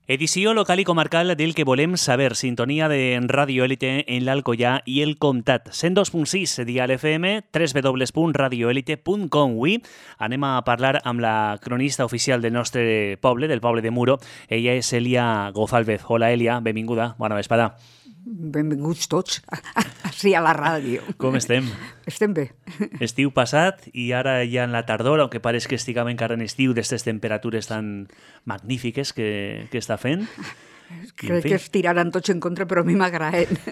Edició local i comarcal del que volem saber. Sintonia de Radio Élite en l'Alcoià i el Comtat. 102.6 Dial FM, www.radioelite.com. Avui anem a parlar amb la cronista oficial del nostre poble, del poble de Muro. Ella és Elia Gofalvez. Hola, Elia, benvinguda. Bona vesprada. Benvinguts tots, així a la ràdio. Com estem? Estem bé. Estiu passat i ara ja en la tardor, aunque pareix que estiguem encara en estiu, d'aquestes temperatures tan magnífiques que està fent. Crec que es tiraran tots en contra, però a mi m'agraden.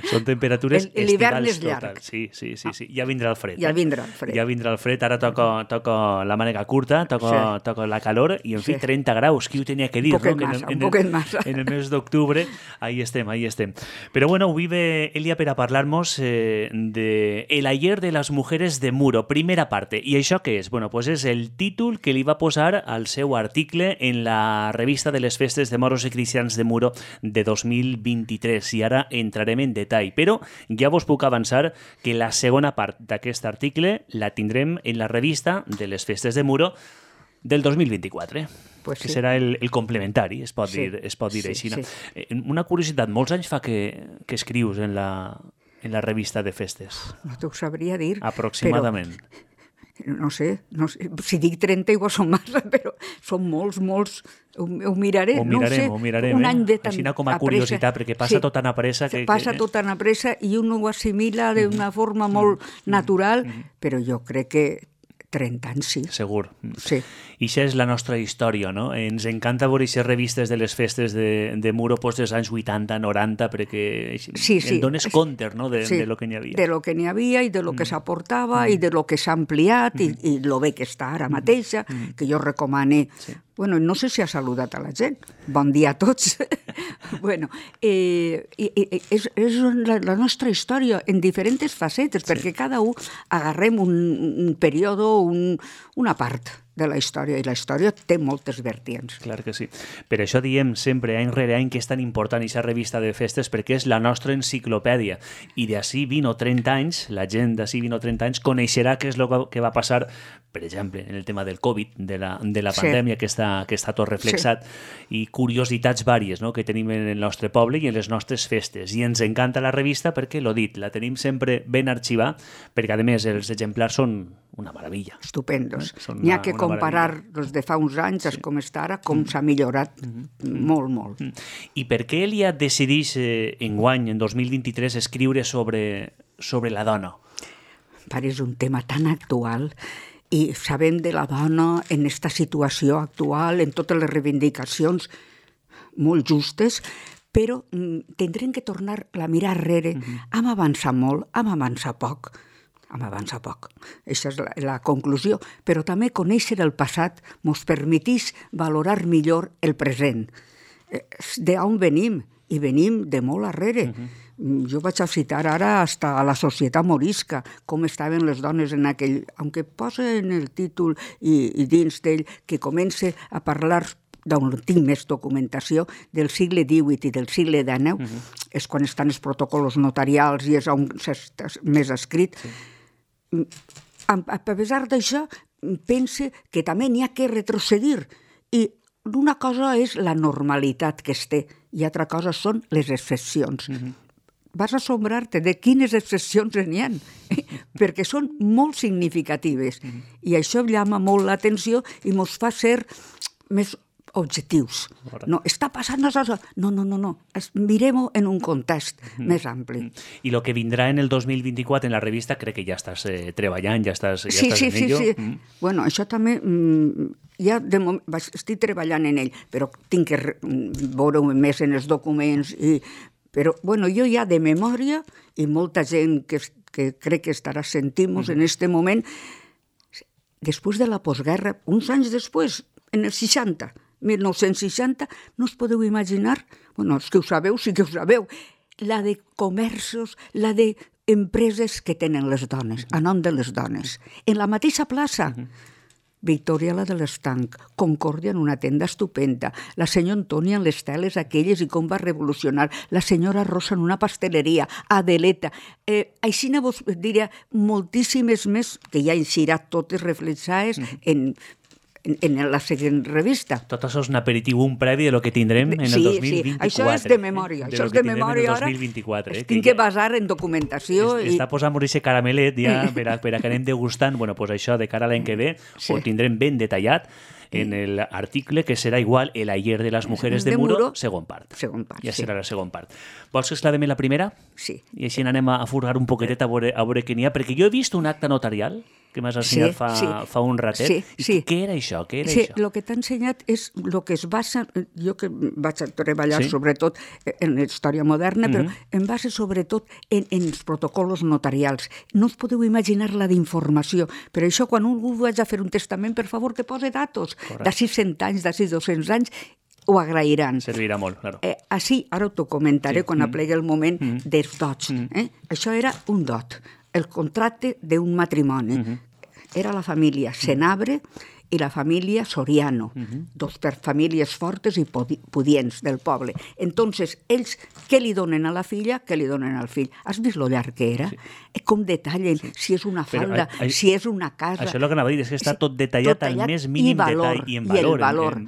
Són temperatures l'hivern estivals és llarg. total. Sí. Ja vindrà el fred. Ja vindrà el fred. Ja vindrà el fred. Ara toca la màniga curta, toca la calor i, en fi, 30 graus. Qui ho tenia que dir? Un poquet massa. En el mes d'octubre, ahí estem. Però bueno, avui ve Elia per a parlar-nos de El ayer de las mujeres de Muro, primera parte. I això què és? Bueno, pues és el títol que li va posar al seu article en la revista de les festes de moros i cristians de Muro de 2023. I ara entrarem en detall, però ja vos puc avançar que la segona part d'aquest article la tindrem en la revista de les festes de Muro del 2024, pues que sí. Serà el complementari, es pot dir així. Sí. Una curiositat, molts anys fa que escrius en la revista de festes? No t'ho sabria dir. Aproximadament. Però, no sé, si dic 30 igual són massa, però són molts, ho miraré. Ho mirarem. Un any de tant així com a curiositat, perquè passa tot tan a pressa. Passa tot tan a pressa i un ho assimila d'una forma molt natural, però jo crec que 30 anys, sí. Segur. Sí. I això és la nostra història, no? Ens encanta veure aquestes revistes de les festes de Muro dels anys 80, 90, perquè en dones compte, no?, de lo que n'hi havia. De lo que n'hi havia i de lo que s'aportava i de lo que s'ha ampliat i lo bé que està ara mateixa, que jo recomane. Bueno, no sé si ha saludat a la gent. Bon dia a tots. Bueno, és la nostra història en diferents facetes, perquè cada un agarrem un període, una part de la història, i la història té moltes vertients. Clar que sí. Per això diem sempre, any rere any, que és tan important aquesta revista de festes, perquè és la nostra enciclopèdia. I d'ací 20 o 30 anys, la gent d'ací 20 o 30 anys coneixerà què és el que va passar, per exemple, en el tema del Covid, de la pandèmia, que està tot reflexat, i curiositats vàries, no?, que tenim en el nostre poble i en les nostres festes. I ens encanta la revista perquè, l'ho dit, la tenim sempre ben arxivada, perquè, a més, els exemplars són una meravella. Estupendos. N'hi ha que comparar els de fa uns anys com està ara, com s'ha millorat molt. I per què Elia decideix enguany, en 2023, escriure sobre la dona? És un tema tan actual i sabem de la dona en aquesta situació actual, en totes les reivindicacions molt justes, però tindrem que tornar a mirar enrere. Hem avançat molt, hem avançat poc. Aquesta és la conclusió. Però també conèixer el passat ens permetís valorar millor el present. D'on venim? I venim de molt arrere. Jo vaig a citar ara hasta a la societat morisca, com estaven les dones en aquell... Aunque posa en el títol i dins d'ell que comença a parlar d'on tinc més documentació, del segle XVIII i del segle XIX, és quan estan els protocols notarials i és on s'està més escrit. A pesar d'això, pense que també n'hi ha que retrocedir. I una cosa és la normalitat que es té i altra cosa són les excepcions. Vas assombrar-te de quines excepcions n'hi ha, perquè són molt significatives. I això llama molt l'atenció i ens fa ser més objectius. No, està passant això. No. Mirem-ho en un context més ampli. I el que vindrà en el 2024 en la revista, crec que ja estàs treballant, ja estàs en ello. Sí. Bueno, això també ja estic treballant en ell, però tinc que veure més en els documents. Però bueno, jo ja de memòria, i molta gent que crec que estarà sentint-nos en aquest moment, després de la postguerra, uns anys després, en el 1960, no us podeu imaginar, bueno, els que ho sabeu, sí que ho sabeu, la de comerços, la de empreses que tenen les dones, a nom de les dones. En la mateixa plaça, Victòria, la de l'Estanc, Concòrdia en una tenda estupenda, la senyora Antònia en les teles aquelles i com va revolucionar, la senyora Rosa en una pasteleria, Adeleta. Així vos diria moltíssimes més, que ja eixirà totes reflexades en en la següent revista. Tot això és un aperitiu, un previ de lo que tindrem en el 2024. Sí, això és de memòria. Això és de memòria ara. Es tinc que basar en documentació. Està posant-nos aquest caramelet ja per a que anem degustant. Bueno, pues això de cara a l'any que ve ho tindrem ben detallat en l'article que serà igual El ayer de las mujeres de Muro, segon part. Ja serà la segon part. Vols que esclavem la primera? Sí. I així anem a furgar un poquetet a veure què n'hi ha, perquè jo he vist un acte notarial que m'has ensenyat fa un ratet. Sí. Què era això? El que t'ha ensenyat és el que es basa... Jo que vaig a treballar sobretot en la història moderna, però em basa sobretot en els protocols notarials. No us podeu imaginar la d'informació. Per això, quan algú vaig a fer un testament, per favor, que pose datos. D'ací 100 anys, d'ací 200 anys, ho agrairan. Servirà molt, claro. Així, ara t'ho comentaré quan aplegui el moment dels dots. Això era un dot, el contracte d'un matrimoni. Era la família Senabre i la família Soriano, dos famílies fortes i pudients del poble. Entonces, ells, què li donen a la filla, què li donen al fill? Has vist lo llarg que era? Com detallen si és una falda, si és una casa... Això és el que anava a dir, és que està tot detallat al més mínim detall i en valor. I el valor,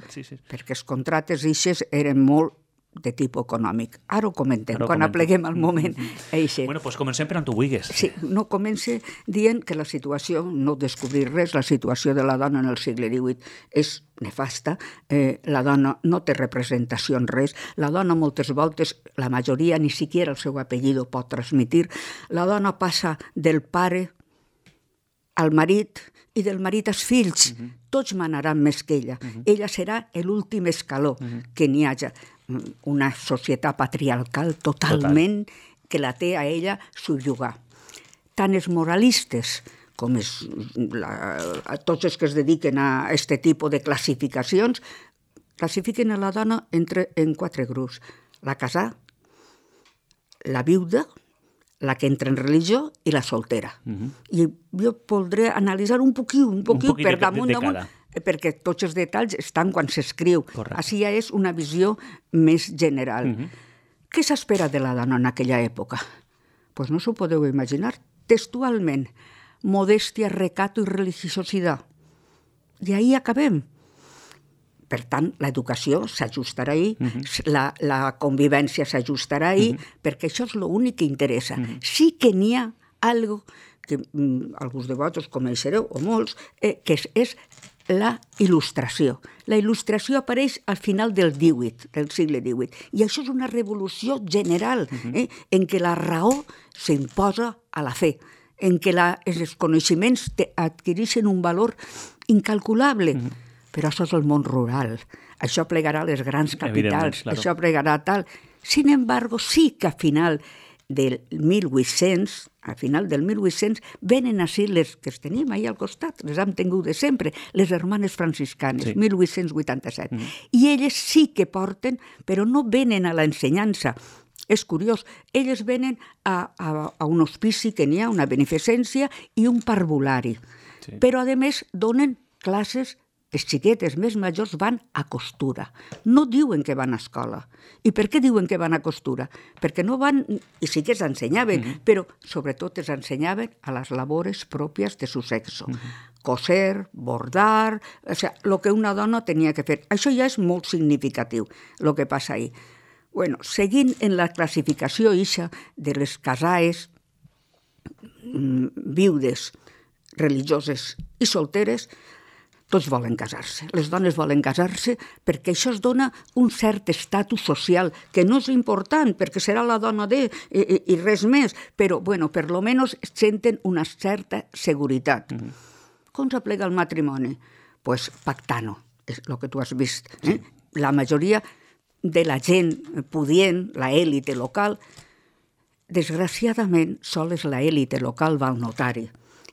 perquè els contractes ixes eren molt de tipus econòmic. Ara ho comentem, quan apleguem el moment. Bueno, doncs comencem per on tu vulguis. Sí, no comença dient que la situació, no descobrir res, la situació de la dona en el segle XVIII és nefasta, la dona no té representació en res, la dona moltes voltes, la majoria ni siquiera el seu apellido pot transmitir, la dona passa del pare al marit i del marit als fills, tots manaran més que ella. Ella serà l'últim escaló que n'hi hagi. Una societat patriarcal totalment que la té a ella subjugar. Tant els moralistes com tots els que es dediquen a aquest tipus de classificacions classifiquen a la dona en 4 grups. La casada, la viuda, la que entra en religió i la soltera. I jo voldré analitzar un poquit per damunt perquè tots els detalls estan quan s'escriu. Així ja és una visió més general. Què s'espera de la dona en aquella època? Doncs no s'ho podeu imaginar. Textualment, modèstia, recato i religiositat. I ahí acabem. Per tant, l'educació s'ajustarà ahí, la convivència s'ajustarà ahí, perquè això és l'únic que interessa. Sí que n'hi ha algo que alguns de vosaltres coneixereu, o molts, que és la il·lustració. La il·lustració apareix al final del segle XVIII, i això és una revolució general, en què la raó s'imposa a la fe, en què els coneixements adquireixen un valor incalculable. Però això és el món rural, això plegarà les grans capitals, això plegarà tal. Sin embargo, sí que a final del 1800, venen així les que es tenim ahí al costat, les hem tingut de sempre, les hermanes franciscanes, 1887. I elles sí que porten, però no venen a l'ensenyança. És curiós, elles venen a un hospici que n'hi ha, una beneficència i un parvulari. Però, a més, donen classes. Les xiquetes més majors van a costura. No diuen que van a escola. I per què diuen que van a costura? Perquè no van, i sí que s'ensenyaven, però sobretot es ensenyaven a les labores pròpies de su sexo. Coser, bordar, o sigui, el que una dona tenia que fer. Això ja és molt significatiu, el que passa ahí. Bueno, seguint en la classificació ixa de les casaes, viudes, religioses i solteres, tots volen casar-se. Les dones volen casar-se perquè això es dona un cert estatus social, que no és important, perquè serà la dona i res més, però, bueno, per lo menos senten una certa seguretat. Com s'aplega el matrimoni? Pues pactano, és el que tu has vist. La majoria de la gent pudient, la élite local, desgraciadament, sols la élite local va al notari.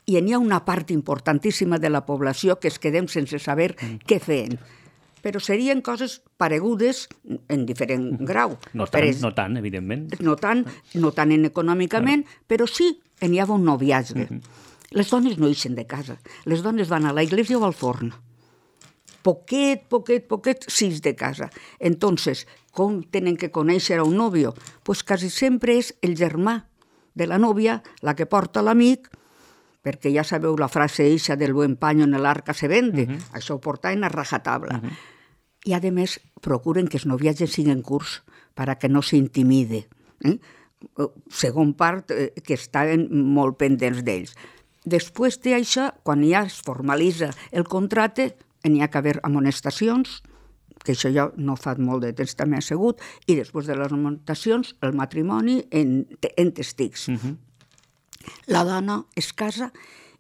I n'hi ha una part importantíssima de la població que es quedem sense saber què feien. Però serien coses paregudes en diferent grau. No tant, evidentment. No tant econòmicament, però sí, n'hi havia un noviatge. Les dones no ixen de casa. Les dones van a la iglesia o al forn. Poquet, sis de casa. Entonces, com tenen que conèixer a un nòvio? Pues quasi sempre és el germà de la nòvia, la que porta l'amic, perquè ja sabeu la frase eixa del buen paño en el arca se vende, això ho portaven a rajatabla. I, a més, procuren que els noviatges siguin curts para que no s'intimide. Segon part, que estaven molt pendents d'ells. Després d'això, quan ja es formalitza el contracte, n'hi ha que haver amonestacions, que això ja no fa molt de temps també ha sigut, i després de les amonestacions, el matrimoni en testics. La dona es casa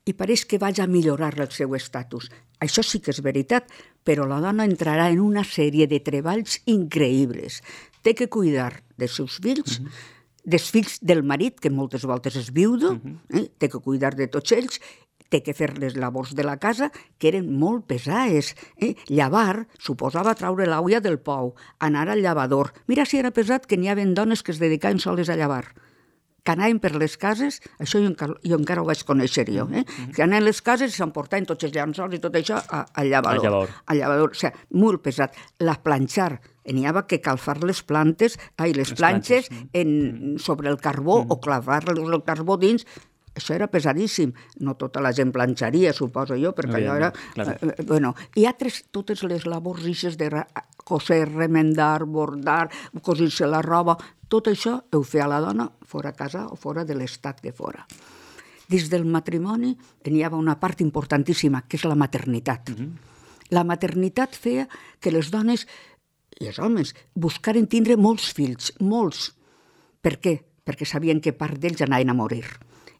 i pareix que vaig a millorar el seu estatus. Això sí que és veritat, però la dona entrarà en una sèrie de treballs increïbles. Té que cuidar dels seus fills, dels fills del marit, que moltes voltes és viudo, té que cuidar de tots ells, té que fer les labors de la casa, que eren molt pesades. Llavar suposava traure l'aulla del pou, anar al llavador. Mira si era pesat que n'hi havia dones que es dedicaven soles a llavar. Que anaven per les cases, això jo encara ho vaig conèixer jo, que anaven a les cases i s'emportaven tots els llençols i tot això al llavador. Al llavador, o sigui, molt pesat. La planxar, n'hi havia que calfar les planxes sobre el carbó o clavar-los el carbó dins. Això era pesadíssim. No tota la gent planxaria, suposo jo, perquè allò era... Hi ha totes les labors ixes de coser, remendar, bordar, cosir-se la roba. Tot això ho feia la dona fora a casa o fora de l'estat de fora. Dins del matrimoni n'hi havia una part importantíssima, que és la maternitat. La maternitat feia que les dones i els homes buscaren tindre molts fills, molts. Per què? Perquè sabien que part d'ells anaven a morir.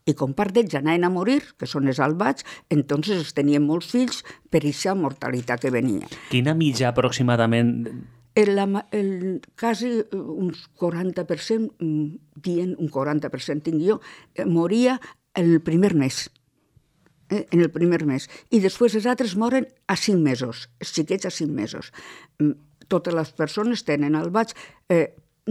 I com part d'ells anaven a morir, que són els albats, entonces es tenien molts fills per aquesta mortalitat que venia. Quina mitja aproximadament? Quasi uns 40%, dient un 40% tinc jo, moria en el primer mes. En el primer mes. I després els altres moren a 5 mesos, els xiquets a 5 mesos. Totes les persones tenen albats,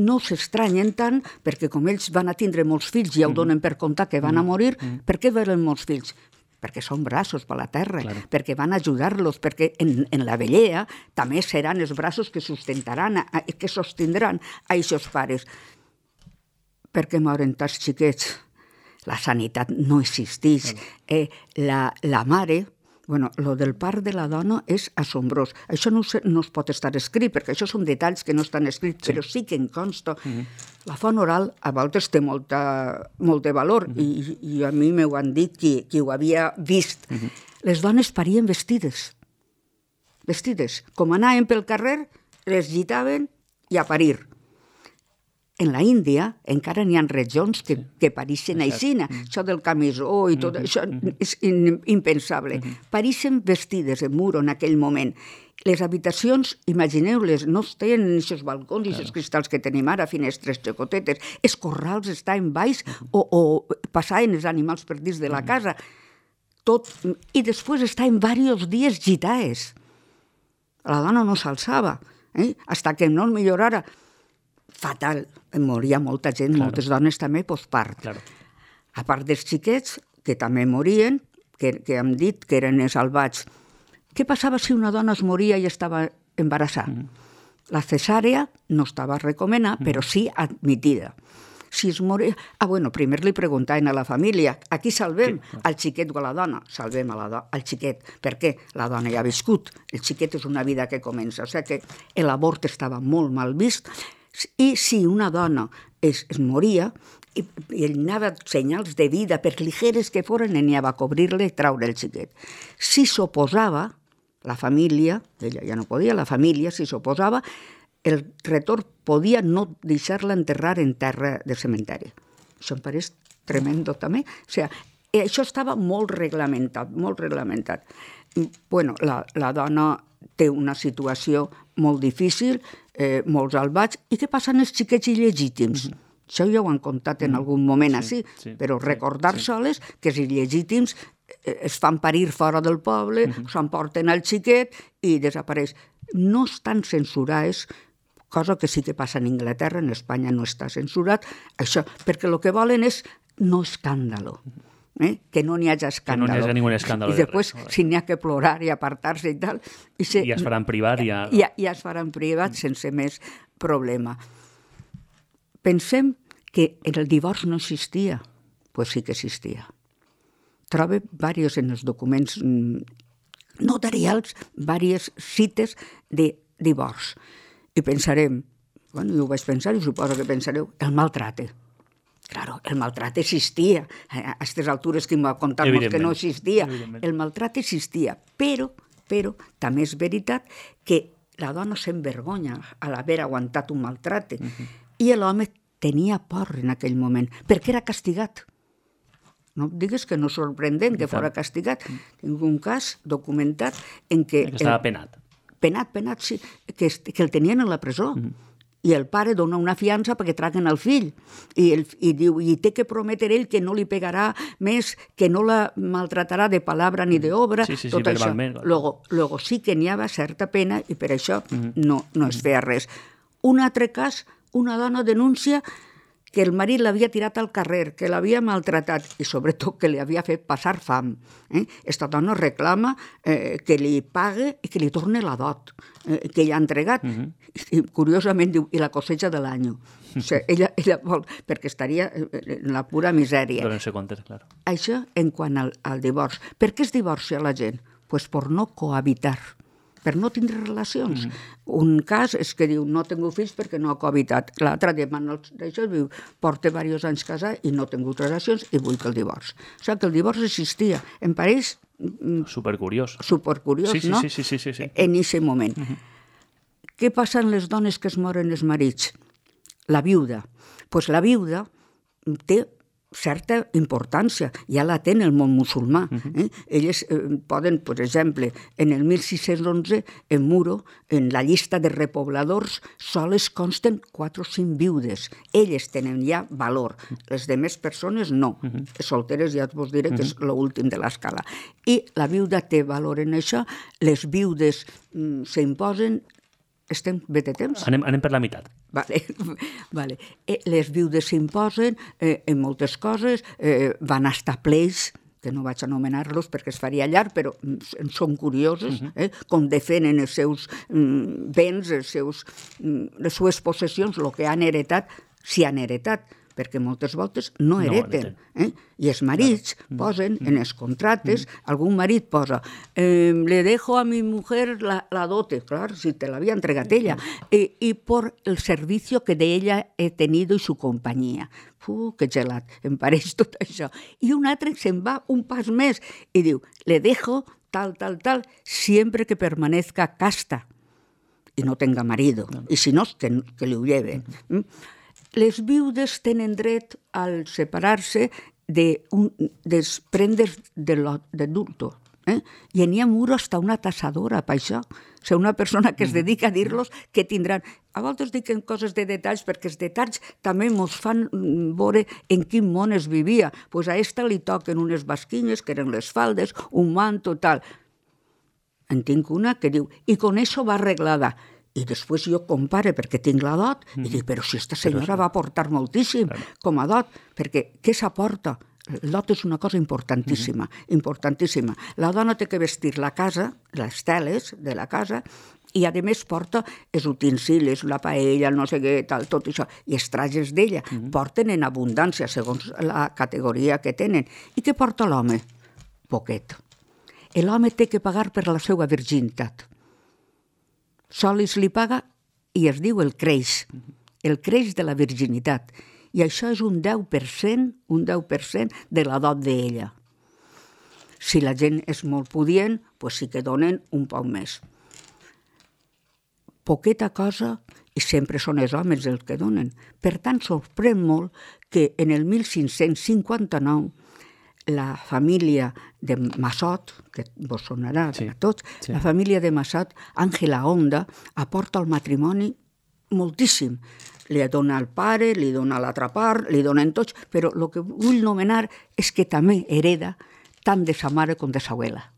no s'estranyen tant perquè com ells van a tindre molts fills i ja ho donen per comptar que van a morir, per què venen molts fills? Perquè són braços per la terra, perquè van a ajudar-los, perquè en la vellea també seran els braços que sostindran a aquests pares. Per què moren tants xiquets? La sanitat no existeix. La mare... Lo del part de la dona és assombrós. Això no es pot estar escrit, perquè això són detalls que no estan escrits, però sí que en consta. La font oral a voltes té molt de valor, i a mi m'ho han dit qui ho havia vist. Les dones parien vestides. Vestides. Com anaven pel carrer, les gitaven i a parir. En la Índia encara n'hi ha regions que pareixen aixina. Això del camisó i tot això és impensable. Pareixen vestides en muro en aquell moment. Les habitacions, imagineu-les, no tenen aquests balcons i aquests cristals que tenim ara, finestres xocotetes. Els corrals estaven baix o passaven els animals per dins de la casa. I després estaven diversos dies gitades. La dona no s'alçava, fins que no millorara. Fatal, moria molta gent, moltes dones també postpart. A part dels xiquets, que també morien, que hem dit que eren els albats. Què passava si una dona es moria i estava embarassada? La cesàrea no estava recomanada, però sí admitida. Si es moria... primer li preguntaven a la família, a qui salvem? Al xiquet o a la dona? Salvem al xiquet. Per què? La dona ja ha viscut. El xiquet és una vida que comença. O sigui que l'abort estava molt mal vist. I si una dona es moria i anava senyals de vida, per ligeres que foren, anava a cobrir-le i traure el xiquet. Si s'oposava, la família, ella ja no podia, la família, si s'oposava, el retorn podia no deixar-la enterrar en terra de cementeri. Això em pareix tremendo també. O sigui, això estava molt reglamentat, molt reglamentat. La dona té una situació molt difícil, molts albats. I què passa amb els xiquets il·legítims? Això ja ho han contat en algun moment així, però recordar-se-les que els il·legítims es fan parir fora del poble, s'emporten al xiquet i desapareix. No estan censurades, cosa que sí que passa en Anglaterra, en Espanya no està censurat, això, perquè el que volen és no escàndalo. Que no n'hi hagi escàndalo. Que no n'hi hagi ningú escàndalo. I després, si n'hi ha que plorar i apartar-se i tal... I es farà en privat. I es farà en privat sense més problema. Pensem que el divorç no existia. Doncs sí que existia. troba diversos en els documents notarials, diverses cites de divorç. I pensarem, bueno, jo ho vaig pensar i suposo que pensareu, el maltrate. Claro, el maltrate existia. A aquestes altures que em va contar-nos que no existia. El maltrate existia, però també és veritat que la dona s'envergonya a l'haver aguantat un maltrate i l'home tenia por en aquell moment, perquè era castigat. No em digues que no és sorprendent que fora castigat. Tinc un cas documentat en què... Que estava penat. Penat, sí, que el tenien a la presó. I el pare dona una fiança perquè traguen el fill i diu, i té que prometre ell que no li pegarà més, que no la maltratarà de palabra ni d'obra, tot això. Luego sí que n'hi havia certa pena i per això no es feia res. Un altre cas, una dona denuncia que el marit l'havia tirat al carrer, que l'havia maltratat i sobretot que li havia fet passar fam. Esta dona reclama que li pague i que li torne la dot que ell ha entregat. I curiosament diu, i la cosecha de l'any. O sigui, ella vol, perquè estaria en la pura misèria. Donen-se comptes, clar. Això en quant al divorç. Per què es divorcia la gent? Pues per no cohabitar, per no tindre relacions. Un cas és que diu, no tinc fills perquè no ha cohabitat. L'altre demana això, diu, porta diversos anys casat i no he tingut relacions i vull que el divorç. O sigui que el divorç existia. Em pareix... Supercuriós. Supercuriós, no? Sí. En aquest moment. Què passa amb les dones que es moren els marits? La viuda. Doncs la viuda té certa importància, ja la té en el món musulmà. Elles poden, per exemple, en el 1611, en Muro, en la llista de repobladors, soles consten 4 o 5 viudes. Elles tenen ja valor. Les demés persones no. Solteres ja vos diré que és l'últim de l'escala. I la viuda té valor en això. Les viudes s'imposen. Estem bé de temps? Anem per la meitat. Vale. Les viudes s'imposen en moltes coses, van estar pleis, que no vaig anomenar-los perquè es faria llarg, però són curiosos, com defenen els seus béns, les seves possessions, el que han heretat, si han heretat, perquè moltes voltes no hereten. I els marits posen en els contractes, algun marit posa, le dejo a mi mujer la dote, clar, si te l'havia entregat ella, y por el servicio que de ella he tenido y su compañía. Que gelat, em pareix tot això. I un altre se'n va un pas més i diu, le dejo tal, siempre que permanezca casta y no tenga marido, y si no, que li ho lleven. Les viudes tenen dret al separar-se dels prendes d'adulto. I n'hi ha Muro hasta una tassadora per això. O sigui, una persona que es dedica a dir-los que tindran... A voltes dic coses de detalls perquè els detalls també ens fan veure en quin món es vivia. Doncs a esta li toquen unes basquinyes, que eren les faldes, un manto, tal. En tinc una que diu, i con eso va arreglada. I després jo compare perquè tinc la dot i dic, però si esta senyora va aportar moltíssim com a dot, perquè què s'aporta? El dot és una cosa importantíssima, importantíssima. La dona té que vestir la casa, les teles de la casa, i a més porta els utensilis, la paella, el no sé què, tal, tot això, i els trajes d'ella. Porten en abundància, segons la categoria que tenen. I què porta l'home? Poquet. L'home té que pagar per la seva virginitat. Sols li paga i es diu el creix de la virginitat. I això és un 10% de la dot d'ella. Si la gent és molt pudient, doncs sí que donen un poc més. Poqueta cosa, i sempre són els homes els que donen. Per tant, sorprèn molt que en el 1559 la família de Massot, que vos sonarà a tots, la família de Massot, Àngela Honda, aporta al matrimoni moltíssim. Li dona al pare, li dona a l'altra part, li donen tots, però el que vull nomenar és que també hereda tant de sa mare com de sa abuela.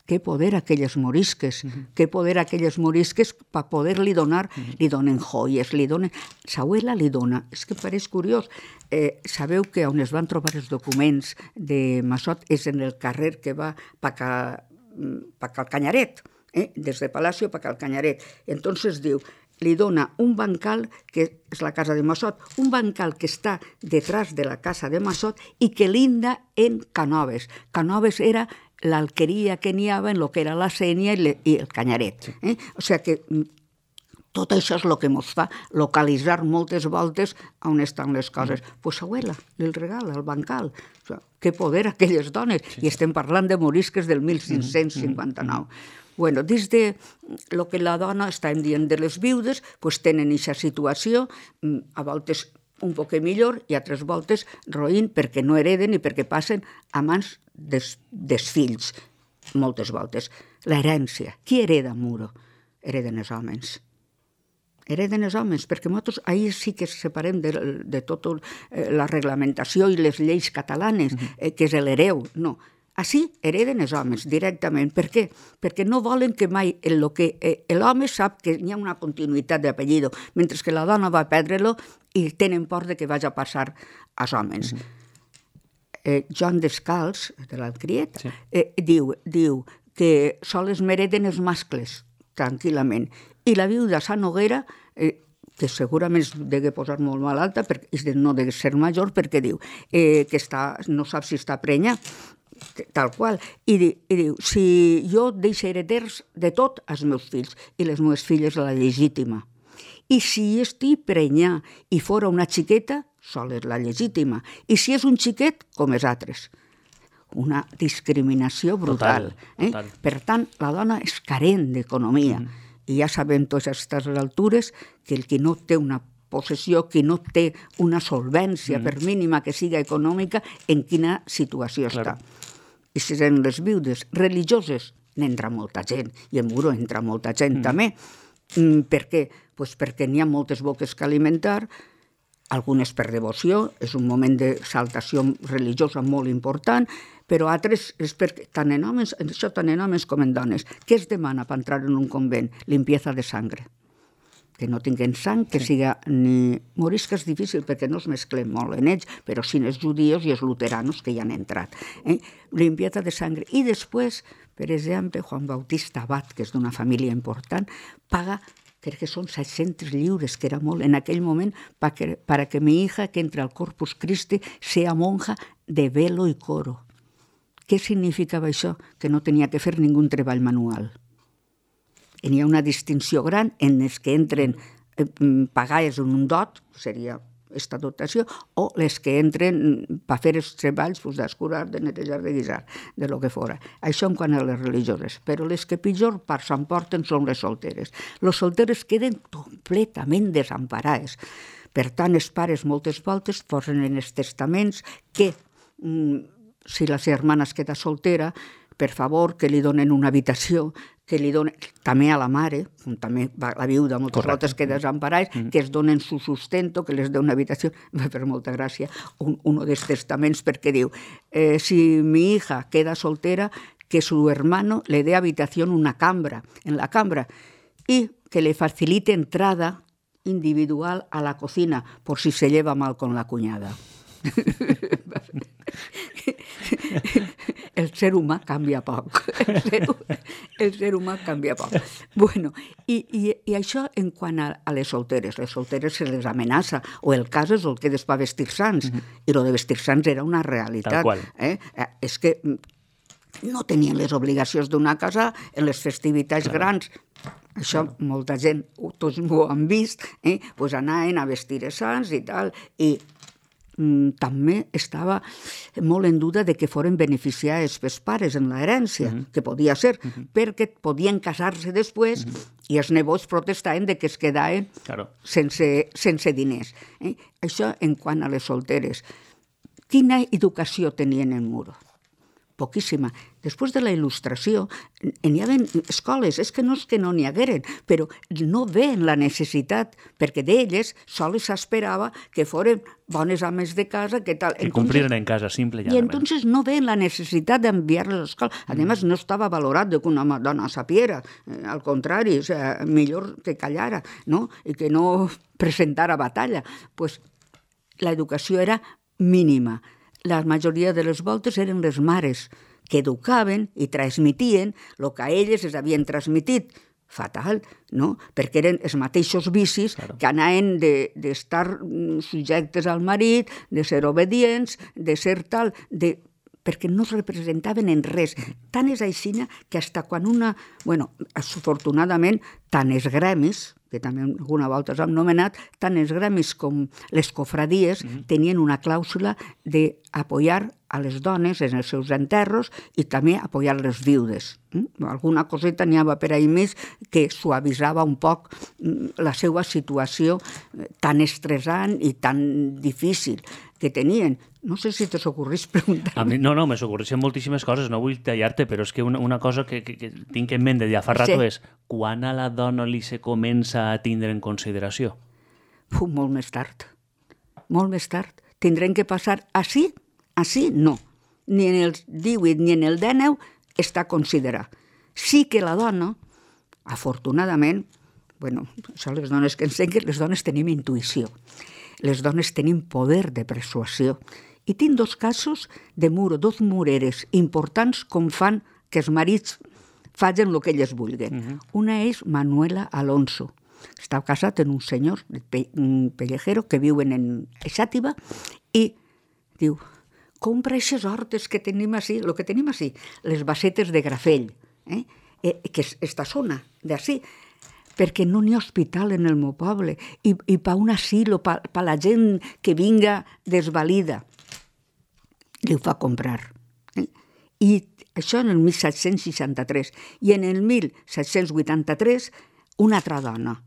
Què poder aquelles morisques, per poder-li donar, li donen joies, li donen... Sa abuela li dona, és que pareix curiós. Sabeu que on es van trobar els documents de Massot és en el carrer que va pa Cal Canyaret, des de Palacio pa Cal Canyaret. Entonces diu, li dona un bancal, que és la casa de Massot, un bancal que està detrás de la casa de Massot i que linda en Canoves. Canoves era l'alqueria que n'hi havia en el que era la Sénia i el Canyaret. O sigui que tot això és el que ens fa localitzar moltes voltes on estan les coses. Pues abuela, li regala el bancal. O sigui, que poder aquelles dones. I estem parlant de morisques del 1559. Bueno, dins de lo que la dona, estàvem dient de les viudes, pues tenen aquesta situació, a voltes un poc millor i altres voltes roïn perquè no hereden i perquè passen a mans dels fills, moltes voltes. L'herència. Qui hereda Muro? Hereden els homes. Hereden els homes, perquè nosaltres ahir sí que separem de tota la reglamentació i les lleis catalanes, que és l'hereu. No. Així hereden els homes directament. Per què? Perquè no volen que mai l'home sap que hi ha una continuïtat d'apellido, mentre que la dona va perdre-lo i tenen por de que vagi a passar als homes. Joan Descalç, de l'Alcriet, diu que sols m'hereden els mascles, tranquil·lament. I la viuda Sant Noguera, que segurament es degué posar molt malalta, no deu ser major, perquè diu que no sap si està prenya, tal qual, i diu, si jo deixo hereders de tot als meus fills i les meves filles la legítima, i si estic prenyà i fora una xiqueta, sol és la legítima, i si és un xiquet, com els altres. Una discriminació brutal. Total. Per tant, la dona és carent d'economia, i ja sabem tots a aquestes altures que el qui no té una possessió, qui no té una solvència, per mínima que siga econòmica, en quina situació està. I si eren les viudes religioses, n'entra molta gent, i en Muro entra molta gent també. Per què? Pues perquè n'hi ha moltes boques que alimentar, algunes per devoció, és un moment de saltació religiosa molt important, però altres és perquè, tant en homes com en dones, què es demana per entrar en un convent? Limpieza de sangre. Que no tinguin sang, que siga ni morisca és difícil perquè no es mesclen molt en ells, però sí els judíos i els luteranos que hi han entrat. Limpieza de sangre. I després, per exemple, Juan Bautista Abad, que és d'una família important, paga, crec que són 600 lliures, que era molt en aquell moment, para que mi hija que entre al Corpus Christi sea monja de velo i coro. Què significava això? Que no tenia que fer ningú treball manual. Hi ha una distinció gran en els que entren pagades en un dot, seria aquesta dotació, o les que entren per fer els treballs d'escurar, de netejar, de guisar, de lo que fora. Això en quant a les religioses. Però les que pitjor part s'emporten són les solteres. Les solteres queden completament desemparades. Per tant, els pares moltes voltes posen en els testaments que si la germana es queda soltera, per favor, que li donen una habitació, que li donen també a la mare, també la viuda moltes voltes que desemparats, que es donen su sustento, que les donen una habitació. Va fer molta gràcia un dels testaments perquè diu, si mi hija queda soltera, que su hermano le dé habitación en la cambra, y que le facilite entrada individual a la cocina, por si se lleva mal con la cuñada. El ser humà canvia poc. El ser humà canvia poc. Bueno, i això en quant a les solteres. Les solteres se les amenaça, o el cas és el que després vestir sants, i el de vestir sants era una realitat. Tal qual. És que no tenien les obligacions d'una casa en les festivitats grans. Això molta gent, tots ho han vist, pues anaven a vestir sants i tal, i també estava molt en duda de que foren beneficiats els pares en l'herència, que podia ser, perquè podien casar-se després i els nebots protestaven de que es quedaven sense diners. Això en quant a les solteres. Quina educació tenien en Muro? Poquíssima. Després de la il·lustració, n'hi havia escoles, és que no n'hi hagueren, però no veien la necessitat, perquè d'elles sols s'esperava que foren bones ames de casa, que tal. Que cumpliren en casa, simple i llanament. I entonces no veien la necessitat d'enviar-les a l'escola. Además, no estava valorat de que una dona sapiera, al contrari, o sea, millor que callara, no? I que no presentara batalla. Pues l'educació era mínima. La majoria de les voltes eren les mares que educaven i transmitien el que a elles es havien transmitit fatal, no? Perquè eren els mateixos vicis que anaven d'estar subjectes al marit, de ser obedients, de ser tal, perquè no es representaven en res. Tant és aixina que hasta quan una... Bueno, afortunadament, tant els gremis, que també alguna volta s'han anomenat, tant els gremis com les cofradies tenien una clàusula d'apoyar a les dones en els seus enterros i també apoyar les viudes. Alguna coseta n'hi havia per ahí més que suavitzava un poc la seva situació tan estressant i tan difícil que tenien. No sé si t'ocorrís preguntar-me. No, me s'ocorreixen moltíssimes coses, no vull tallar-te, però és que una cosa que tinc en ment de ja fa rato és quan a la dona li se comença a tindre en consideració? Molt més tard. Molt més tard. Tindrem que passar així no. Ni en el 18 ni en el 19 està considerat. Sí que la dona, afortunadament, bueno, són les dones que ensenyen, les dones tenim intuïció. Les dones tenim poder de persuasió. I tinc dos casos de muro, dos mureres importants com fan que els marits facin el que elles vulguin. Una és Manuela Alonso. Està casat amb un senyor, un pellejero, que viuen en Xàtiva, i diu, compra aquestes hortes que tenim així, el que tenim així, les basetes de Grafell, que és esta zona d'ací, perquè no n'hi ha hospital en el meu poble, i per un asilo, per la gent que vinga desvalida. Li ho fa comprar. I això en el 1763. I en el 1783, una altra dona,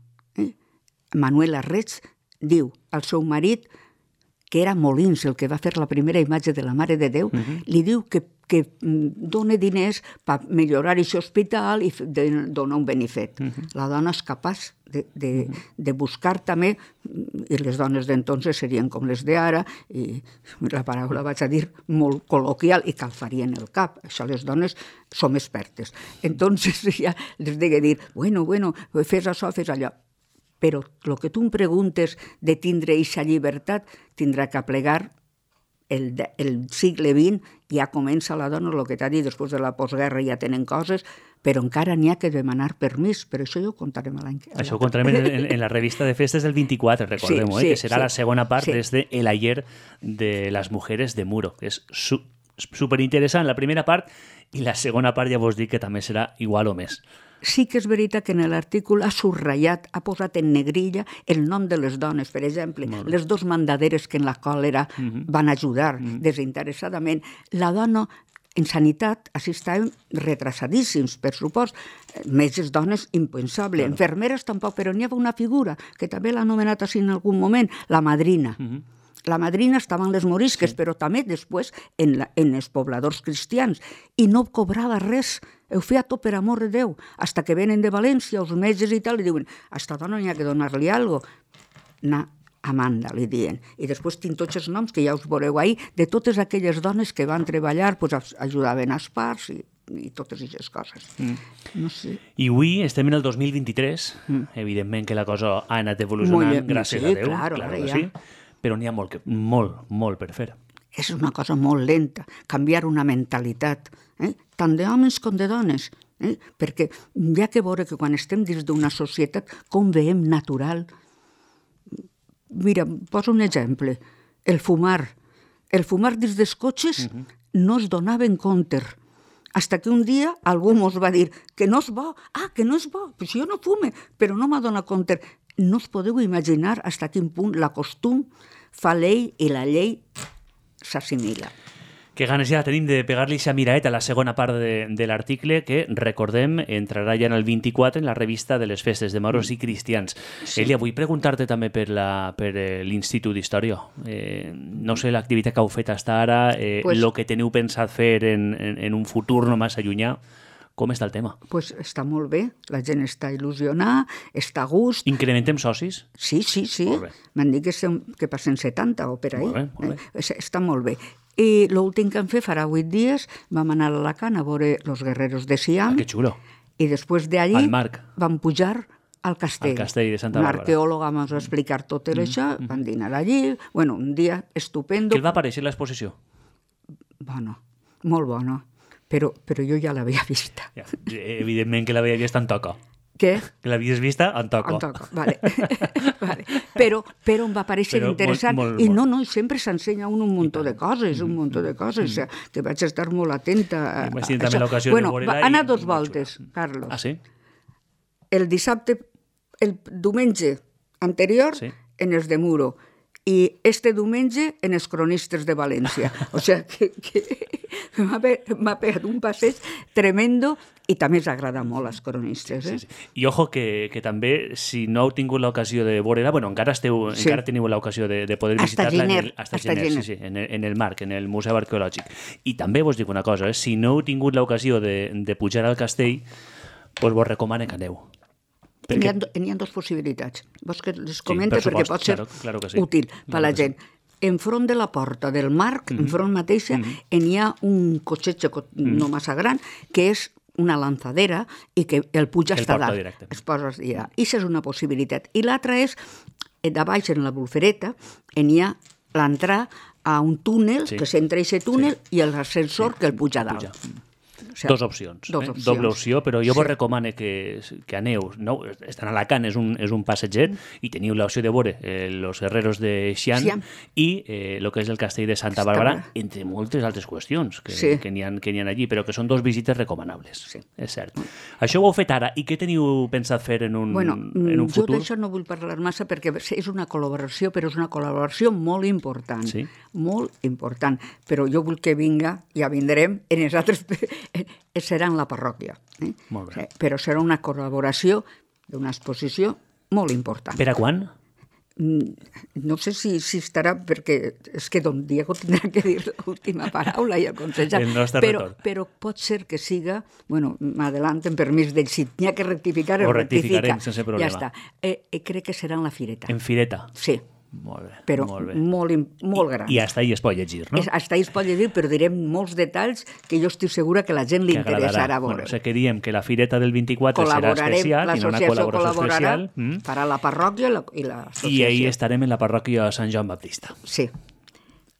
Manuela Reig, diu al seu marit, que era Molins, el que va fer la primera imatge de la Mare de Déu, li diu que dona diners per millorar aquest hospital i donar un benefet. La dona és capaç de buscar també, i les dones d'entonces serien com les d'ara, i la paraula vaig a dir molt col·loquial, i calfarien el cap. Això les dones som expertes. Entonces ja les deia dir, bueno, fes això, fes allò. Però el que tu em preguntes de tindre aquesta llibertat tindrà que plegar el segle XX, ja comença la dona, el que t'ha dit, després de la postguerra ja tenen coses, però encara n'hi ha que demanar permís, però això ja ho contarem l'any que... Això ho contarem en la revista de festes del 24, recordem-ho, que serà la segona part des de El ayer de las mujeres de Muro, que és superinteressant la primera part, i la segona part ja vos dic que també serà igual o més. Sí que és veritat que en l'artícul ha subratllat, ha posat en negrilla el nom de les dones, per exemple, les dos mandaderes que en la còlera van ajudar desinteressadament. La dona, en sanitat, així estàvem retrasadíssims, per supost, metges dones impensable, enfermeres tampoc, però n'hi havia una figura, que també l'ha anomenat així en algun moment, la madrina. La madrina estava en les morisques, però també després en els pobladors cristians, i no cobrava res. Ho feia tot per amor de Déu, hasta que venen de València, els metges i tal, i diuen, a esta dona n'hi ha que donar-li alguna cosa. Na Amanda, li diuen. I després tinc tots els noms, que ja us veureu ahir, de totes aquelles dones que van treballar, ajudaven als parts i totes aquestes coses. No sé. I avui estem en el 2023, evidentment que la cosa ha anat evolucionant, gràcies a Déu, clar que sí, però n'hi ha molt per fer. És una cosa molt lenta, canviar una mentalitat, tant d'homes com de dones, perquè hi ha que veure que quan estem dins d'una societat, com veiem natural. Mira, poso un exemple, el fumar dins dels cotxes no es donava en compte, hasta que un dia algú mos va dir que no és bo, que no és bo, pues jo no fume, però no m'ha donat compte. No us podeu imaginar fins a quin punt la costum fa llei i la llei s'assimila. Que ganes ja tenim de pegar-li aquesta miraeta a la segona part de l'article que, recordem, entrarà ja en el 24 en la revista de les festes de moros i cristians. Sí. Elia, vull preguntar-te també per l'Institut d'Història. No sé l'activitat que heu fet fins ara, el que teniu pensat fer en un futur no massa llunyà. Com està el tema? Pues està molt bé, la gent està il·lusionada, està a gust. Incrementem socis? Sí. M'han dit que passen 70 o per ahí. Molt bé. Està molt bé. I l'últim que hem fet farà 8 dies, vam anar a Alacant a veure los guerreros de Siam. Que xulo. I després d'allí vam pujar al castell. Al castell de Santa Bàrbara. Un arqueòleg va explicar tot això, van dinar allí, un dia estupendo. Què el va aparèixer l'exposició? Bona, molt bona. Però jo ja l'havia vista. Ja, evidentment que l'havia vist en toca. Què? Que l'havies vista en Toco. En Toco, vale. Vale. Però em va parèixer interessant. I no, sempre s'ensenya un muntó de coses, un muntó de coses, que vaig estar molt atenta. Imagina't també l'ocasió de veure-la. Va anar dos voltes, Carlos. Ah, sí? El diumenge anterior en els de Muro i este diumenge en els cronistes de València. O sigui que m'ha pegat un passeig tremendo i també s'agrada molt als cronistes. Sí. I ojo que també, si no heu tingut l'ocasió de veure-la, bueno, encara teniu l'ocasió de poder visitar-la hasta gener. Sí, en el Marc, en el Museu Arqueològic. I també vos dic una cosa, si no heu tingut l'ocasió de pujar al castell, doncs vos recomano que aneu. N'hi ha dues possibilitats. Vols que les comente perquè pot ser útil per la gent. Enfront de la porta del Marc, enfront mateixa, n'hi ha un cotxet no massa gran, que és una lanzadera i que el puja està dalt. Es posa allà. I això és una possibilitat. I l'altra és, de baix en la Bulfereta, n'hi ha l'entrar a un túnel, que s'entra a aquest túnel, i l'ascensor que el puja dalt. Dos opcions. Doble opció, però jo vos recomano que aneu. Estan a Alacant, és un passeget, i teniu l'opció de veure els herreros de Xi'an i el que és el castell de Santa Bàrbara, entre moltes altres qüestions que n'hi ha allí, però que són dos visites recomanables. És cert. Això ho heu fet ara, i què teniu pensat fer en un futur? Jo d'això no vull parlar massa perquè és una col·laboració, però és una col·laboració molt important. Molt important. Però jo vull que vinga, ja vindrem, en els altres... serà en la parròquia. Molt bé. Però serà una col·laboració d'una exposició molt important. Per a quan? No sé si estarà, perquè és que don Diego tindrà que dir l'última paraula i aconsellar. El nostre retorn. Però pot ser que siga... Bueno, m'adelanten permís del si n'hi ha que rectificar, ho rectificarem sense problema. Ja està. Crec que serà en la Fireta. En Fireta? Sí. Molt bé. Però molt gran. I hasta ahí es pot llegir, no? Hasta ahí es pot llegir, però direm molts detalls que jo estic segura que la gent li interessarà veure. Bueno, que diem que la Fireta del 24 serà especial, i una col·laboració especial. Farà la parròquia i l'associació. I ahir estarem en la parròquia Sant Joan Baptista. Sí.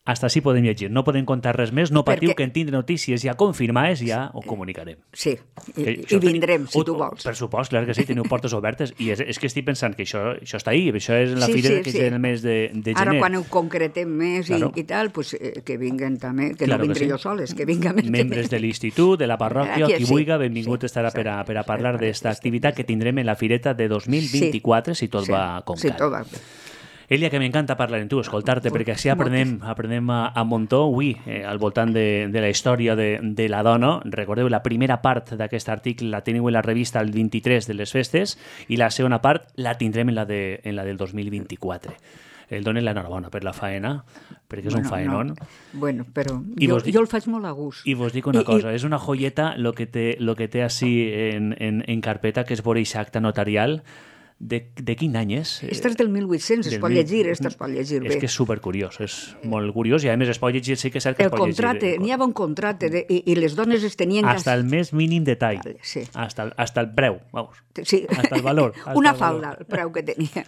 Hasta així podem llegir. No podem contar res més. No patiu que en tindre notícies ja confirmades ja ho comunicarem. Sí, i vindrem, si tu vols. Per supost, clar que sí, teniu portes obertes. I és que estic pensant que això està ahí, això és la fira que és en el mes de gener. Ara, quan ho concretem més i tal, que vinguen també, que no vindré jo soles, que vinguin membres de l'institut, de la parròquia, qui vulgui, benvingut estarà per a parlar d'esta activitat que tindrem en la fireta de 2024, si tot va com cal. Sí, tot va bé. Elia, que m'encanta parlar amb tu, escoltar-te, perquè així aprenem a muntó. Avui, al voltant de la història de la dona, recordeu, la primera part d'aquest article la teniu en la revista el 23 de les festes i la segona part la tindrem en la del 2024. El donen l'enhorabona per la faena, perquè és un faenón. Bueno, però jo el faig molt a gust. I vos dic una cosa, és una joieta lo que té així en carpeta, que és veure aquest acte notarial. De quin any és? Este és del 1800, es pot llegir bé. És que és supercuriós, és molt curiós i a més es pot llegir, sí que és cert que es pot llegir. El contracte, n'hi havia un contracte i les dones es tenien... Hasta el més mínim detall, hasta el preu, vamos, hasta el valor. Una falda, el preu que tenia.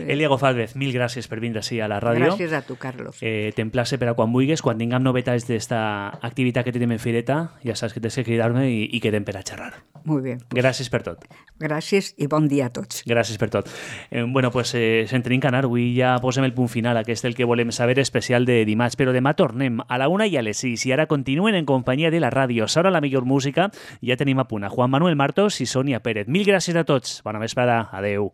Elia Gozálvez, mil gràcies per vindre així a la ràdio. Gràcies a tu, Carlos. T'emplace per a quan vulguis, quan tinguem novetats d'esta activitat que tenim en Fireta, ja saps que tens que cridar-me i quedem per a xerrar. Molt bé. Gràcies per tot. Gràcies i bon dia a tots. Gràcies per tot. Bueno, pues se'n tenim que anar. Avui ja posem el punt final. Aquest és el que volem saber especial de dimarts. Però demà tornem a la 1 i a les 6. I ara continuen en companyia de la ràdio. S'hora la millor música. Ja tenim a punt a Juan Manuel Martos i Sònia Pérez. Mil gràcies a tots. Bona vesprada. Adeu.